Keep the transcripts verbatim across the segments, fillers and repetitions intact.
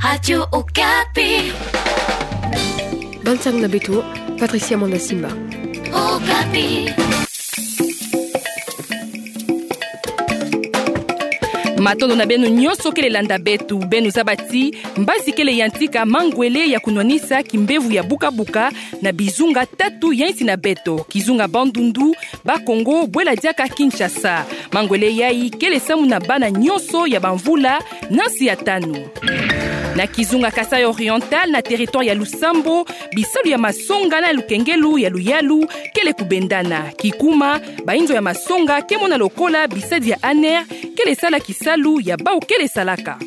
Radio Okapi. Bansango na beto, Patricia Manda Simba. Okapi. Matondo na beno nyonso kele landa beto, beno zaba ti mbazi kele yantika mangwele ya kunwanisa kimbevo ya bukabuka na bizunga tatu ya insi na beto, kizunga Bandundu, Bas-Congo, bwela diaka Kinshasa. Mangwele yai kele samu na bana nyonso ya bamvula na nsi ya tanu. Na kizunga Kasaï Oriental, na territoire ya Lusambwa, bisalu ya masonga na lukengelo ya luyalu kele kubendana. Kikuma, bainzo ya masonga ke mona lokola bisadi ya ANR kele sala kisalu ya bau kele salaka.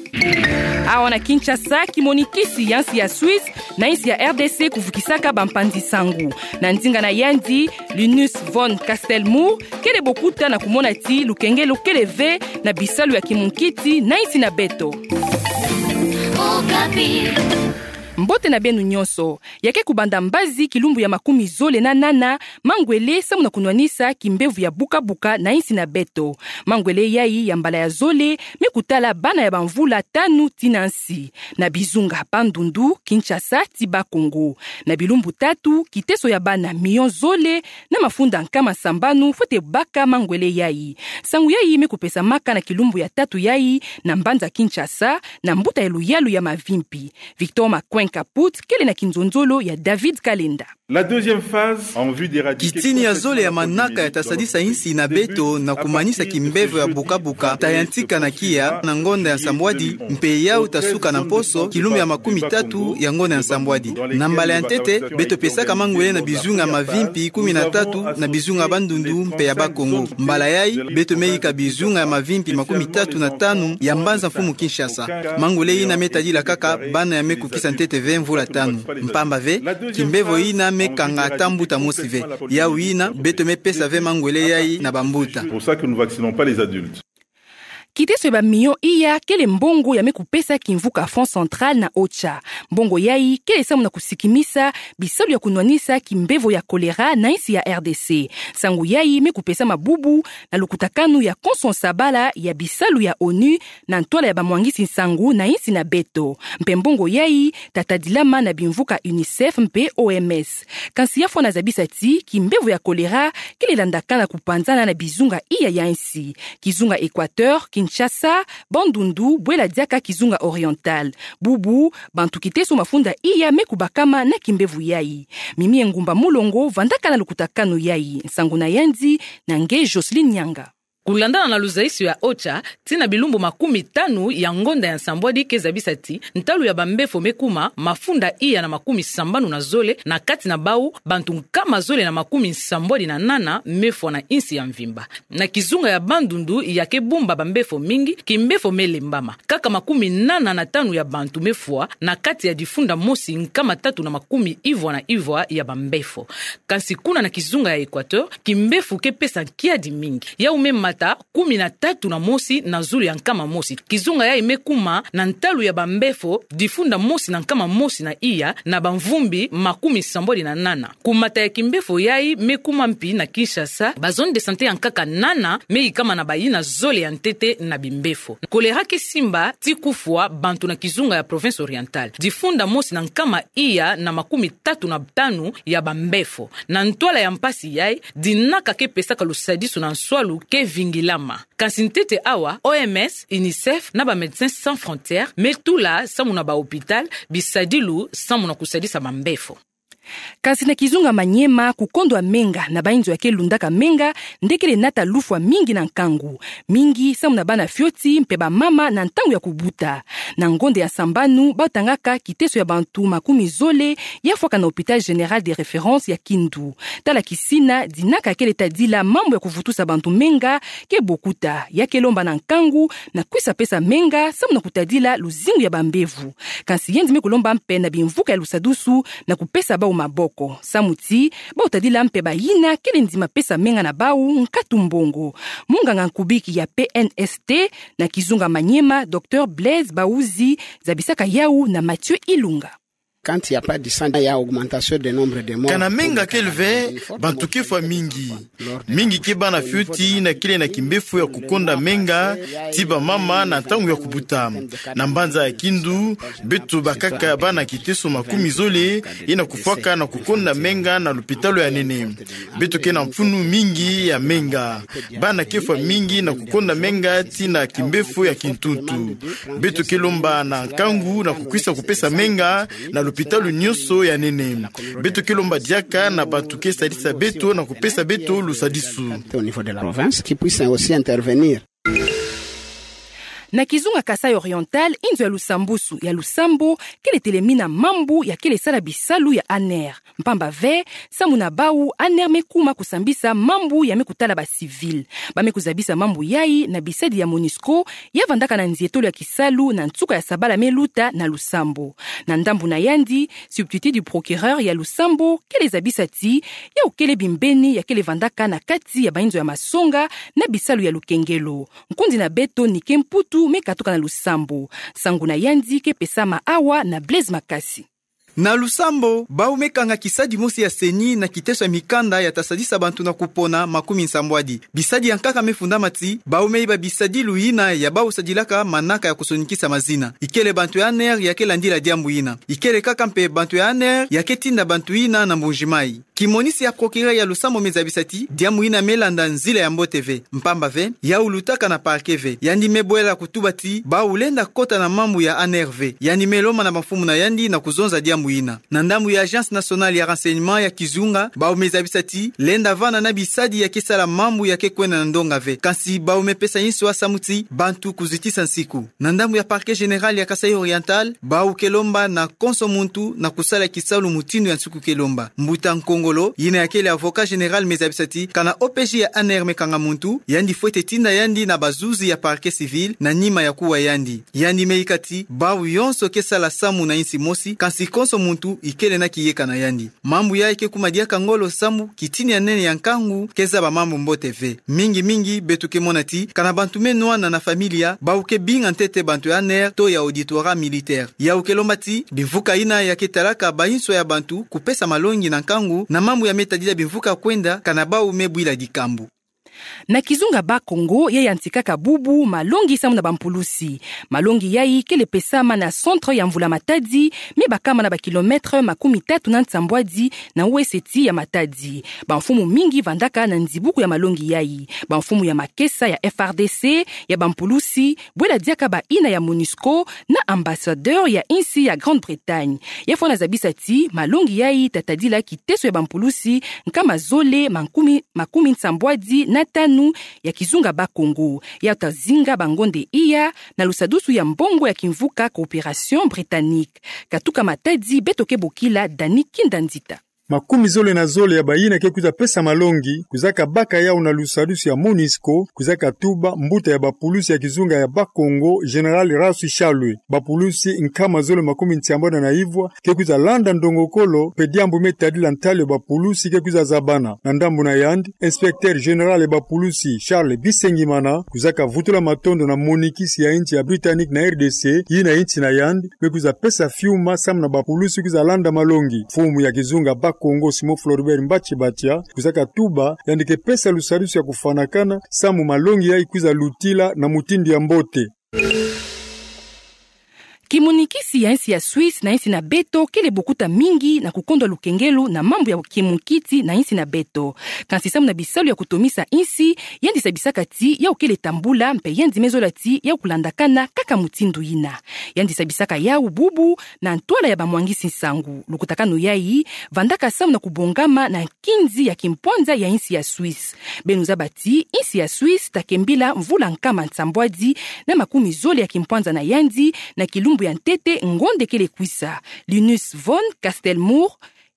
Awa na Kinshasa, kimonikisi ya nsi ya Suisse na insi ya R D C kuvukisaka bampanzi nsangu. Na ndinga na yandi, Linus von Castelmour kele bokuta na kumona ti lukengelo kele ve na bisalu ya kimunkiti na insi na beto. Okapi. Mbote na beno nyonso. Ya ke kubanda mbazi kilumbu ya makumi zole na nana mangwele samu na kunwanisa kimbevo ya bukabuka na insi na beto. Mangwele yai ya mbala ya zole me kutala bana ya bamvula tanu tii na nsi, na bizunga Bandundu, Kinshasa ti Bas-Congo. Na bilumbu tatu, kiteso ya bana miyo zole na mafunda nkama sambanu fwete baka mangwele yai. Nsangu yai me kupesamaka na kilumbu ya tatu yai na mbanza Kinshasa, na mbuta ya luyalu ya Mavimpi. Victor Makwin Kaput kele na kinzonzolo ya David Kalenda. La deuxième phase en vue d'éradiquer... Kitini ya zole ya manaka ya ta sadisa insi na beto na kumanisa kimbevo ya bukabuka ta yantika na kia na ngonda ya nsambwadi, mpe yau ta suka na mposo kilumbu ya makumi tatu ya ngonda ya nsambwadi. Na mbala ya ntete, beto pesaka mangwele na bizunga Mavimpi kumi na tatu, na bizunga Bandundu mpe ya Bas-Congo. Mbala yai, beto me yika bizunga ya Mavimpi makumi tatu na tanu ya mbanza mfumu Kinshasa. Mangwele ina me tadila kaka bana ya me kukisa ntete ve mvula tanu. Mpamba ve, kimbevo ina me kanga ata mbuta mosi ve. Yau ina, beto me pesa ve mangwele yai na bambuta. C'est pour ça que nous vaccinons pas les adultes. Kiteso ya bamiyo iya kele mbongo ya me kupesa kimvuka Fonds Central na OCHA. Mbongo yai kele samu na kusikimisa bisalu ya kunwanisa kimbevo ya kolera na insi ya R D C. Nsangu yai me kupesama bubu na lukutakanu ya konso nsabala ya bisalu ya ONU na ntwala ya bamwangisi nsangu na insi na beto. Mpe mbongo yai ta tadilama na bimvuka UNICEF mpe O M S. Kansi ya fwana zabisa ti kimbevo ya kolera kele landakana kupanzana na bizunga iya ya insi. Kizunga Équateur, Kinshasa, Bandundu, bwela diaka kizunga Oriental. Bubu, bantu kiteso mafunda iya me kubakama na kimbevo yai. Mimi Engumba Mulongo vandaka na lukutakanu yai. Nsangu na yandi na nge Jocelyne Nyanga. Kulandana na luzaiso ya OCHA, tii na bilumbu makumi tanu ya ngonda ya nsambwadi ke zabisa ti ntalu ya bambefo me kuma mafunda iya na makumi sambanu na zole, na kati na bau bantu nkama zole na makumi nsambwadi na nana me fwa na insi ya mvimba. Na kizunga ya Bandundu ya ke bumba bambefo mingi, kimbefo me lembama. Kaka makumi nana na tanu ya bantu me fwa na kati ya difunda mosi nkama tatu na makumi ivwa na ivwa ya bambefo. Kansi kuna na kizunga ya Équateur, kimbefo ke pesa kiadi mingi. Yau me mata kumi na tatu na mosi na zulu ya nkama mosi. Kizunga yai me kuma na ntalu ya bambefo difunda mosi na nkama mosi na iya na bamvumbi makumi sambwadi na nana. Kumata ya kimbefo yai me kuma mpi na Kinshasa, ba zone de santé ya nkaka nana me yikama na bayina zole ya ntete na bimbefo. Kolera ke simba ti kufwa bantu na kizunga ya Province Orientale. Difunda mosi na nkama iya na makumi tatu na tanu ya bambefo. Na ntwala ya mpasi yai, dinaka ke pesaka lusadisu na nswalu ke vingilama. Kansi ntete awa, O M S, UNICEF na ba Médecins Sans Frontières me tula samu na ba hôpital bisadilu samu na kusadisa bambefo. Kansi na kizunga Maniema, kukondwa menga na bainzo ya ke lundaka menga nde kele nata lufwa mingi na nkangu. Mingi samu na bana fioti mpe bamama na ntangu ya kubuta. Na ngonda ya sambanu, batangaka kiteso ya bantu makumi zole ya fwaka na Hôpital Général de Référence ya Kindu. Tala kisina dinaka kele tadila mambu ya kuvutusa bantu menga ke bokuta, ya ke lomba na nkangu na kwisa pesa menga samu na kutadila luzingu ya bambevo. Kansi yandi me kulomba mpe na bimvuka ya lusadusu na kupesa bau maboko. Samu ti bau tadila mpe bayina kele ndima pesa menga na bau nkatu mbongo. Munganga nkubiki ya P N S T na kizunga Maniema, Docteur Blaise Bahuzi, zabisaka yau na Mathieu Ilunga. Quand il y a pas de sang, il y a augmentation de nombre de morts. Kana menga kele ve, bantu ke fwa mingi. Mingi ke bana fioti yina kele na kimbefo ya kukonda menga, ti bamama na ntangu ya kubuta. Na mbanza ya Kindu, beto bakaka bana kiteso makumi zole, yina kufwaka na kukonda menga na lupitalu ya nene. Beto ke na mfunu mingi ya menga. Bana ke fwa mingi na kukonda menga ti na kimbefo ya kintuntu. Beto ke lomba na nkangu na kukwisa kupesa menga na lupitalu nyonso ya nene. Beto ke lomba diaka na bantu ke sadisa beto na kupesa beto lusadisu. Au niveau de la province, qui puisse aussi intervenir. Na kizunga Kasaï Oriental, inzo ya lusambusu ya lusambo kele telemina mambu ya kele sala bisalu ya ANR. Mpamba ve, samu na bau, ANR me kuma kusambisa mambu ya me kutala ba civil. Ba me kuzabisa mambu yai na bisadi ya MONUSCO, ya vandaka na nzietolo ya kisalu na nsuka ya sabala me luta na lusambo. Na ndambu na yandi, substitut du procureur ya lusambo kele zabisa ti, yau kele bimbeni ya kele vandaka na kati ya bainzo ya masonga na bisalu ya lukengelo. Nkundi na beto Nike Mputu me katuka na lusambo. Nsangu na yandi ke pesama awa na Blaise Makasi. Na lusambo, bau me kanga kisadi mosi ya CENI na kiteso ya mikanda ya ta sadisa bantu na kupona makumi nsambwadi. Bisadi ya nkaka me fundama ti, bau me iba bisadilu yina ya bau sadilaka manaka ya kusonikisa mazina. Ikele bantu ya ANR ya ke landila diambu yina. Ikele kaka mpe bantu ya ANR ya ke tinda bantu yina na Mbuji-Mayi. Kimonisi ya procureur ya lusambo me zabisa ti, diambu yina me landa nzila ya mbote ve. Mpamba ve, yau lutaka na parquet ve. Yandi me bwela kutuba ti, bau lenda kota na mambu ya ANR ve. Yandi me lomba na bamfumu na yandi na kuzonza diambu yina. Na ndambu ya Agence Nationale ya Renseignement ya kizunga, bau me zabisa ti, lenda vana na bisadi ya ke sala mambu ya ke kwenda na ndonga ve. Kansi bau me pesa nswa samu ti, bantu kuzitisa nsiku. Na ndambu ya Parquet Général ya Kasaï Oriental, bau ke lomba na konso muntu na kusala kisalu mutindu ya nsuku ke lomba. Mbuta Nkongolo, yina ya kele avocat général me zabisa ti, kana OPJ ya ANR me kanga muntu, yandi fwete tinda yandi na bazuzi ya parquet civil, na nima ya kuwa yandi. Yandi me ika ti, bau yonso ke sala samu na insi mosi, kansi konso muntu ikele na kiyeka na yandi. Mambu yai ke kuma diaka ngolo samu, kitini ya nene ya nkangu, ke zaba mambu mbote ve. Mingi mingi, beto ke mona ti, kana bantu me nwana na familia, bau ke binga ntete bantu ya ANR, to ya auditorat militaire. Yau ke lomba ti, bimvuka yina ya ke talaka bainswa ya bantu, kupesa malongi na nkangu, na mambu ya me tadila bimvuka kwenda, kana bau me bwila dikambu. Na kizunga Bas-Congo, ya yantikaka bubu malongi samu na bampulusi. Malongi yai kele pesama na centre ya Mvula Matadi, me bakama na ba kilomètre makumi tatu na nsambwadi na weseti ya Matadi. Bamfumu mingi vandaka na nzibuku ya malongi yai. Bamfumu ya makesa ya F R D C, ya bampulusi, bwela diaka baina ya MONUSCO, na ambassadeur ya insi ya Grande-Bretagne. Ya fwana zabisa ti, malongi yai ta tadila kiteso ya bampulusi, nkama zole, mankumi, makumi nsambwadi na tanu ya kizunga Bas-Congo. Ya ta zinga bangonde iya, na lusadusu ya mbongo ya kimvuka coopération britannique. Katuka Matadi, beto ke bokila Dani Kindandita. Makumi zole na zole ya baina ke kwiza pesa malongi, kwizaka baka yau na lusadusu ya MONUSCO, kwizaka tuba mbuta ya bapulusi ya kizunga ya Bas-Congo, Général Rasu Shalwe. Bapulusi nkama zole makumi ntiambwada na ivwa, ke kwiza landa ndongokolo, mpe diambu me tadila ntalu ya bapulusi ke kwiza zabana. Na ndambu na yandi, inspecteur général ya bapulusi, Charles Bisengimana, kwizaka vutula matondo na monikisi ya insi ya Britannique na R D C, yina insi na yandi, me kwiza pesa fiuma samu na bapulusi kwiza landa malongi. Mfumu ya kizunga Bas-Congo Simon Floribert Mbatshi Batia, kwizaka tuba, yandi ke pesa lusadusu ya kufwanakana, samu malongi yai kwiza lutila na mutindu ya mbote. Kimonikisi ya insi ya Suisse na insi na beto kele bokuta mingi na kukondwa lukengelo na mambu ya kimunkiti na insi na beto. Kansi samu na bisalu ya kutomisa insi, yandi sabisaka ti yau kele tambula, mpe yandi me zola ti yau kulandakana kaka mutindu yina. Yandi sabisaka yau bubu na ntwala ya bamwangisi nsangu. Lukutakanu yai vandaka samu na kubongama na nkinzi ya kimpwanza ya insi ya Suisse. Beno zaba ti insi ya Suisse ta kembila mvula nkama nsambwadi na makumi zole ya kimpwanza na yandi na kilumbu ya ntete ngonde kele kwisa. Linus von Kastelmoor,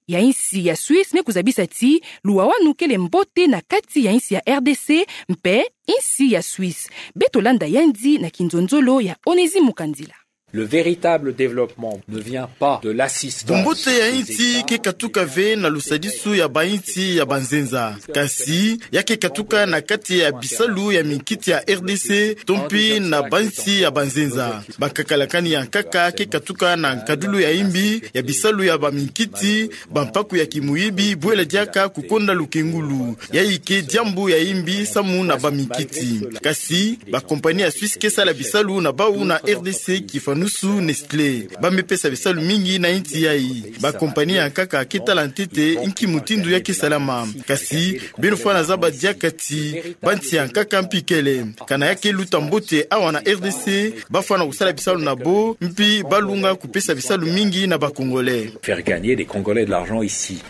ya insi ya Suisse, me kuzabisa ti luwawanu kele mbote na kati ya insi ya R D C mpe insi ya Suisse. Beto landa yandi na kinzonzolo ya Onésime Mukandila. Le véritable développement ne vient pas de l'assistance. Bumbote ya insi ke katuka ve na lusadisu ya bainsi ya banzenza. Kasi, ya ke katuka na kati ya bisalu ya minkiti ya R D C, to mpi na bainsi ya banzenza. Bakakakalakani ya nkaka ke katuka na nkadulu ya imbi ya bisalu ya baminkiti, bampaku ya kimuyibi, bwela diaka kukonda lukengulu. Yayi ke diambu ya imbi samu na baminkiti. Kasi, bakompani ya Suisse ke sala bisalu na bau na R D C, kifanusu Nestlé. Bamipesa bisalu mingi na insi yayi. Bakompani ya nkaka ke tala ntete nki mutindu ya ke salama. Kasi, beno fwana zaba diaka ti, bansi ya nkaka mpi kele. Kana ya ke luta mbote awa na R D C, bafwana kusala bisalu na bo, mpi balunga kupesa bisalu mingi na ba Congolais. Faire gagner les Congolais de l'argent ici.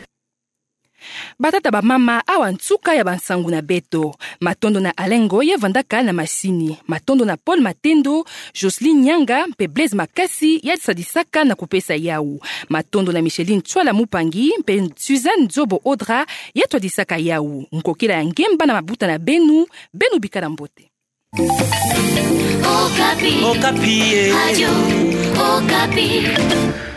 Batata, bamama, awa nsuka ya bansangu na beto. Matondo na Alengo ye vandaka na masini. Matondo na Paul Matendo, Jocelyne Nyanga, mpe Blaise Makasi, ya sadisaka na kupesa yawu. Matondo na Micheline Tswala Mupangi, mpe Suzanne Nzobo Odra, ya twadisaka yawu. Nkokila ya ngemba na mabuta na beno, beno bikala mbote. Okapi. Okapi, eh. Radio Okapi.